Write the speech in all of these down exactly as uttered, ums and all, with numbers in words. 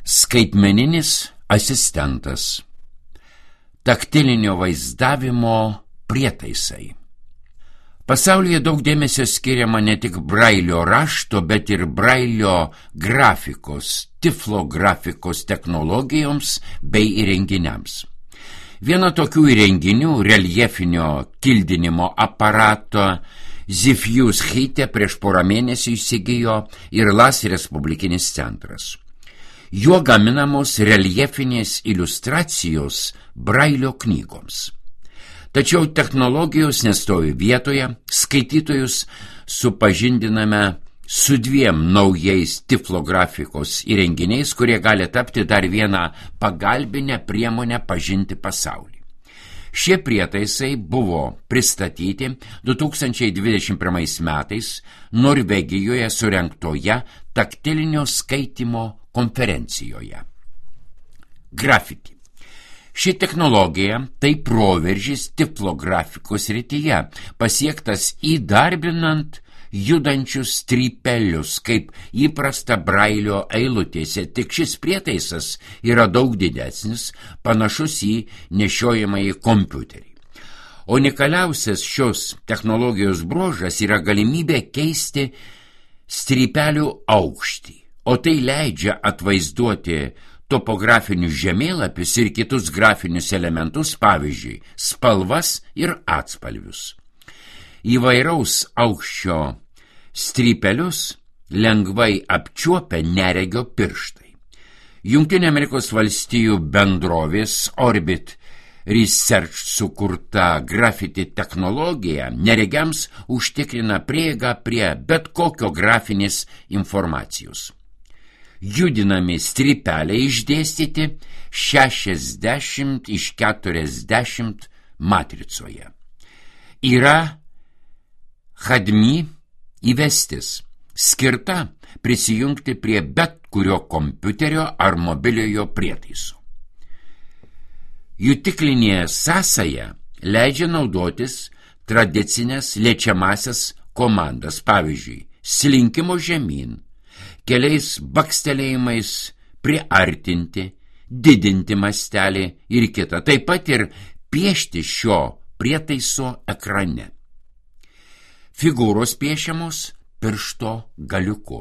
Skaitmeninis asistentas. Taktilinio vaizdavimo prietaisai. Pasaulyje daug dėmesio skiriama ne tik brailio rašto, bet ir brailio grafikos, tiflografikos technologijoms bei įrenginiams. Viena tokių įrenginių, reljefinio kildinimo aparato, Zifjus Hite prieš porą mėnesių įsigijo ir Las Respublikinis centras. Juo gaminamos reljefinės iliustracijos brailio knygoms. Tačiau technologijos nestovi vietoje, skaitytojus supažindiname su dviem naujais tiflografikos įrenginiais, kurie gali tapti dar vieną pagalbinę priemonę pažinti pasaulį. Šie prietaisai buvo pristatyti du tūkstančiai dvidešimt pirmais metais Norvegijoje surengtoje taktilinio skaitymo konferencijoje. Grafiti. Ši technologija tai proveržis tiflografikos srityje, pasiektas įdarbinant judančius strypelius, kaip įprasta brailio eilutėse, tik šis prietaisas yra daug didesnis, panašus į nešiojamąjį kompiuterį. Unikaliausias šios technologijos bruožas yra galimybė keisti strypelių aukštį, o tai leidžia atvaizduoti topografinius žemėlapius ir kitus grafinius elementus, pavyzdžiui, spalvas ir atspalvius. Įvairaus aukščio strypelius lengvai apčiuopia neregio pirštai. Jungtinių Amerikos valstijų bendrovės Orbit Research sukurta grafiti technologija neregiams užtikrina prieigą prie bet kokio grafinės informacijos. Judinami strypeliai išdėstyti šešiasdešimt iš keturiasdešimt matricoje. Yra Hadmi įvestis, skirta prisijungti prie bet kurio kompiuterio ar mobiliojo prietaiso. Jutiklinė sąsaja leidžia naudotis tradicinės liečiamasias komandas, pavyzdžiui, slinkimo žemyn, keliais bakstelėjimais priartinti, didinti mastelį ir kitą, taip pat ir piešti šio prietaiso ekrane. Figūros piešiamos piršto galiuku.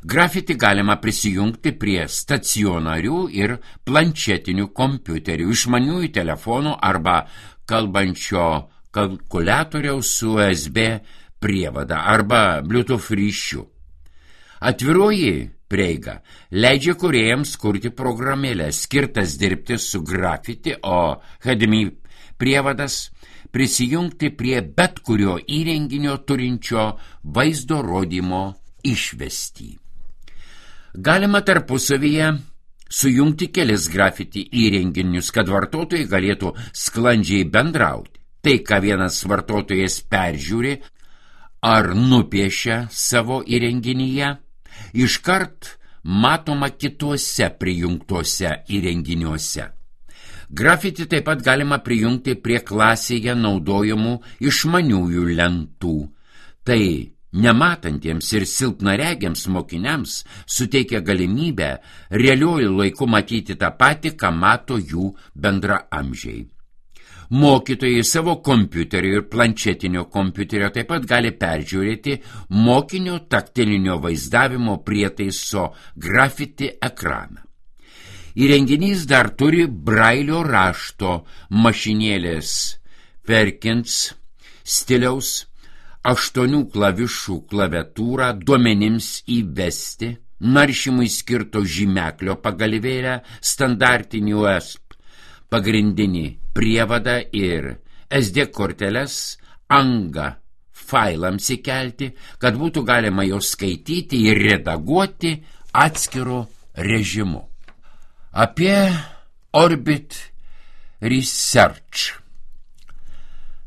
Grafiti galima prisijungti prie stacionarių ir planšetinių kompiuterių, išmaniųjų telefonų arba kalbančio kalkuliatoriaus su U S B prievada arba Bluetooth ryšiu. Atviroji prieiga leidžia kūrėjams kurti programėlės skirtas dirbti su grafiti, o Hadmi prievadas prisijungti prie bet kurio įrenginio turinčio vaizdo rodymo išvestį. Galima tarpusavyje sujungti kelis grafiti įrenginius, kad vartotojai galėtų sklandžiai bendrauti. Tai, ką vienas vartotojas peržiūri ar nupiešia savo įrenginyje, iškart matoma kituose prijungtuose įrenginiuose. Grafiti taip pat galima prijungti prie klasėje naudojamų išmaniųjų lentų. Tai nematantiems ir silpnaregiams mokiniams suteikia galimybę realiuoju laiku matyti tą patį, ką mato jų bendraamžiai. Mokytojai savo kompiuterio ir planšetinio kompiuterio taip pat gali peržiūrėti mokinio taktilinio vaizdavimo prietaiso grafiti ekraną. Įrenginys dar turi brailio rašto mašinėlės Perkins stiliaus aštuonių klavišų klaviatūrą duomenims įvesti, naršymui skirto žymeklio pagalvėlę, standartinį U S B pagrindinį prievadą ir S D korteles angą failams įkelti, kad būtų galima jos skaityti ir redaguoti atskiru režimu. Apie Orbit Research.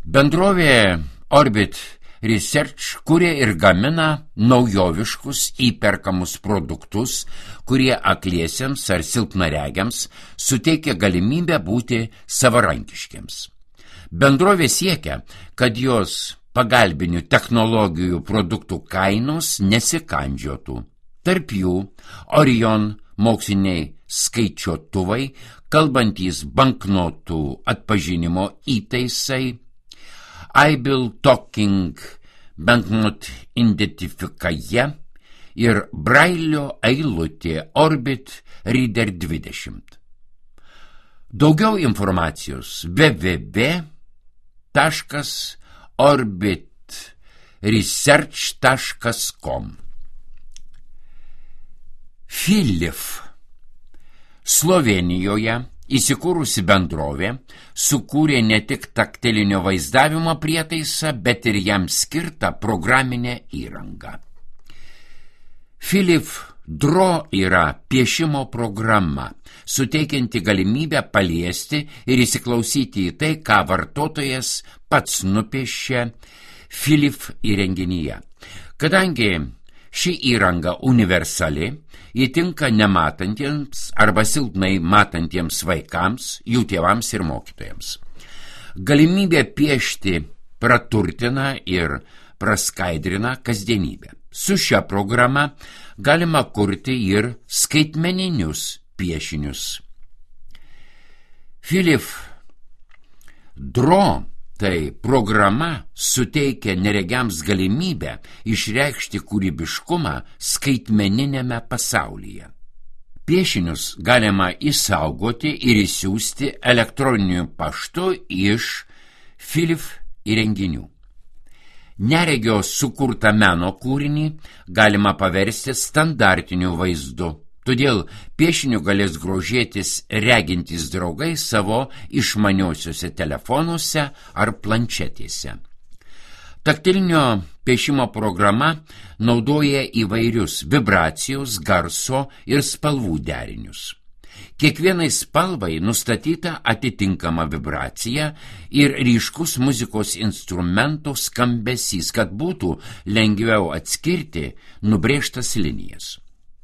Bendrovė Orbit Research kuria ir gamina naujoviškus įperkamus produktus, kurie akliesiems ar silpnaregiams suteikia galimybę būti savarankiškiams. Bendrovė siekia, kad jos pagalbinių technologijų produktų kainos nesikandžiotų. Tarp jų Orion moksliniai skaičiuotuvai, kalbantys banknotų atpažinimo įtaisai, Aibil Talking Banknot Identifikaja ir Brailio eilutė Orbit Reader dvidešimt. Daugiau informacijos w w w taškas orbit research taškas com. Philips Slovėnijoje įsikūrusi bendrovė sukūrė ne tik taktilinio vaizdavimo prietaisą, bet ir jam skirtą programinę įrangą. Philips Draw yra piešimo programa, suteikianti galimybę paliesti ir įsiklausyti į tai, ką vartotojas pats nupiešia Philips įrenginyje. Kadangi ši įranga universali, ji tinka nematantiems arba silpnai matantiems vaikams, jų tėvams ir mokytojams. Galimybė piešti praturtina ir praskaidrina kasdienybę. Su šia programa galima kurti ir skaitmeninius piešinius. Philips Draw, tai programa, suteikia neregiams galimybę išreikšti kūrybiškumą skaitmeninėme pasaulyje. Piešinius galima išsaugoti ir išsiųsti elektroniniu paštu iš Philips įrenginių. Neregio sukurtą meno kūrinį galima paversti standartiniu vaizdu, todėl piešiniu galės grožėtis regintys draugai savo išmaniosiuose telefonuose ar planšetėse. Taktilinio piešimo programa naudoja įvairius vibracijos, garso ir spalvų derinius. Kiekvienai spalvai nustatyta atitinkama vibracija ir ryškus muzikos instrumento skambesys, kad būtų lengviau atskirti nubrėžtas linijas.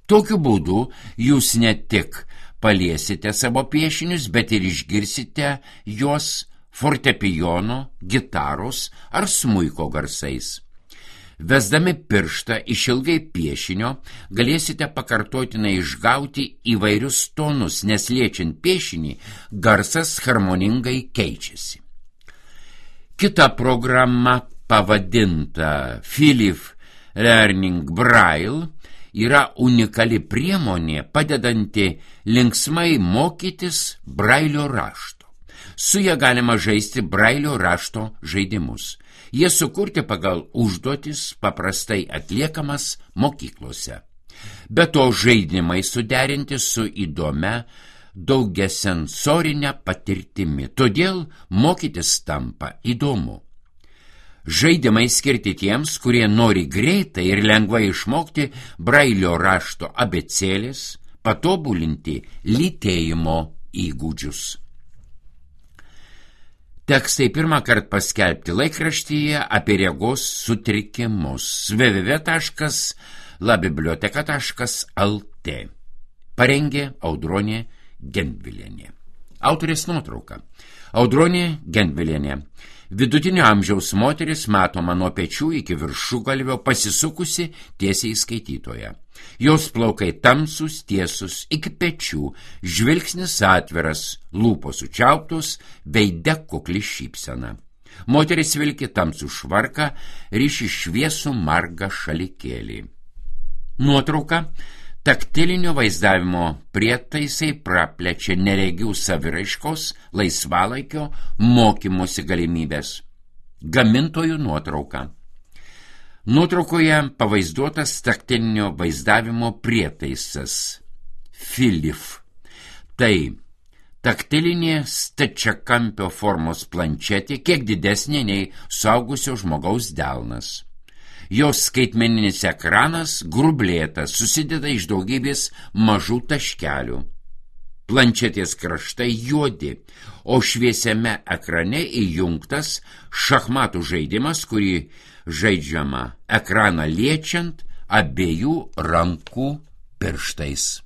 Tokiu būdu jūs ne tik paliesite savo piešinius, bet ir išgirsite juos fortepijono, gitaros ar smuiko garsais. Vesdami pirštą išilgai piešinio galėsite pakartotinai išgauti įvairius tonus, nes liečiant piešinį garsas harmoningai keičiasi. Kita programa pavadinta Philips Learning Braille yra unikali priemonė padedanti linksmai mokytis Brailio rašto. Su ja galima žaisti Brailio rašto žaidimus. Jie sukurti pagal užduotis paprastai atliekamas mokyklose. Be to žaidimai suderinti su įdomia daugiasensorinė patirtimi, todėl mokytis tampa įdomu. Žaidimai skirti tiems, kurie nori greitai ir lengvai išmokti Brailio rašto abėcėlės, patobulinti lytėjimo įgūdžius. Tekstai pirmą kartą paskelbti laikraštyje apie regos sutrikimus w w w taškas la biblioteka taškas l t. Parengė Audronė Gendvilienė. Autorės nuotrauka. Audronė Gendvilienė. Vidutinio amžiaus moteris matoma nuo pečių iki viršugalvio pasisukusi tiesiai į skaitytoją. Jos plaukai tamsus, tiesus iki pečių, žvilgsnis atviras, lūpos sučiauptos, veide kukli šypsena. Moteris vilki tamsų švarką, ryši šviesų margą šalikėlį. Nuotrauka. Taktilinio vaizdavimo prietaisai praplečia neregių saviraiškos, laisvalaikio, mokymosi galimybės. Gamintojų nuotrauka. Nuotraukoje pavaizduotas taktilinio vaizdavimo prietaisas Philips. Tai taktilinė stačiakampio formos planšetė, kiek didesnė nei suaugusio žmogaus delnas. Jos skaitmeninis ekranas grublėtas, susideda iš daugybės mažų taškelių. Planšetės kraštai juodi, o šviesiame ekrane įjungtas šachmatų žaidimas, kurį žaidžiama ekraną liečiant abiejų rankų pirštais.